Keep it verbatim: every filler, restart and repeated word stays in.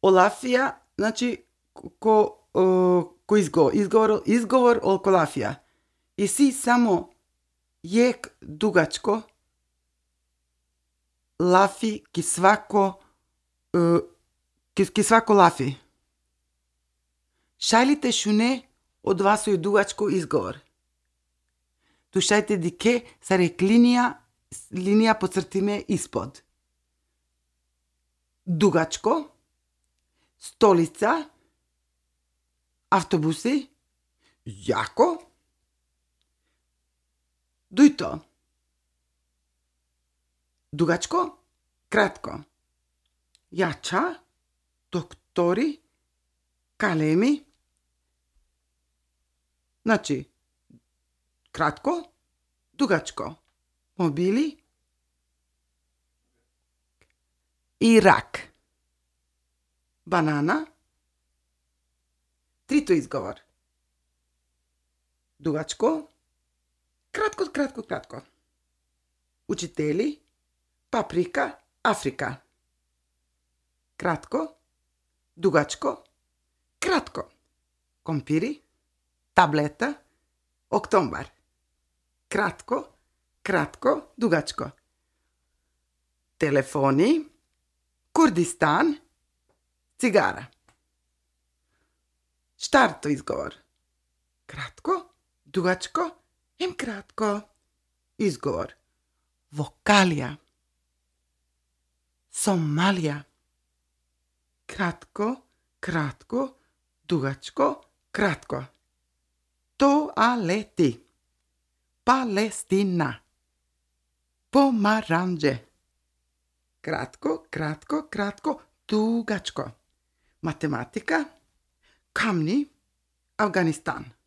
Олафија, значи, ко, ко изговор, изговор, изговор олколафија. И си само јек дугачко, лафи ки свако, ки, ки свако лафи. Шајлите шуне од васој дугачко изговор. Тушајте дике са рек линија, линија поцртиме испод. Дугачко, столица, автобуси, јако, дујто. Дугачко, кратко. Јача, доктори, калеми. Значи, кратко, дугачко. Мобили и рак. Банана. Трито изговор. Дугачко, кратко, кратко, кратко. Учители, паприка, Африка. Кратко, дугачко, кратко. Компири, таблета, октомбар. Кратко, кратко, дугачко. Телефони, Курдистан, цигара. Штарто изговор. Кратко, дугачко, ем кратко. Изговор. Вокалија. Сомалија. Кратко, кратко, дугачко, кратко. Тоалети. Палестина. Помаранџе. Кратко, кратко, кратко, дугачко. Математика. Камни. Афганистан.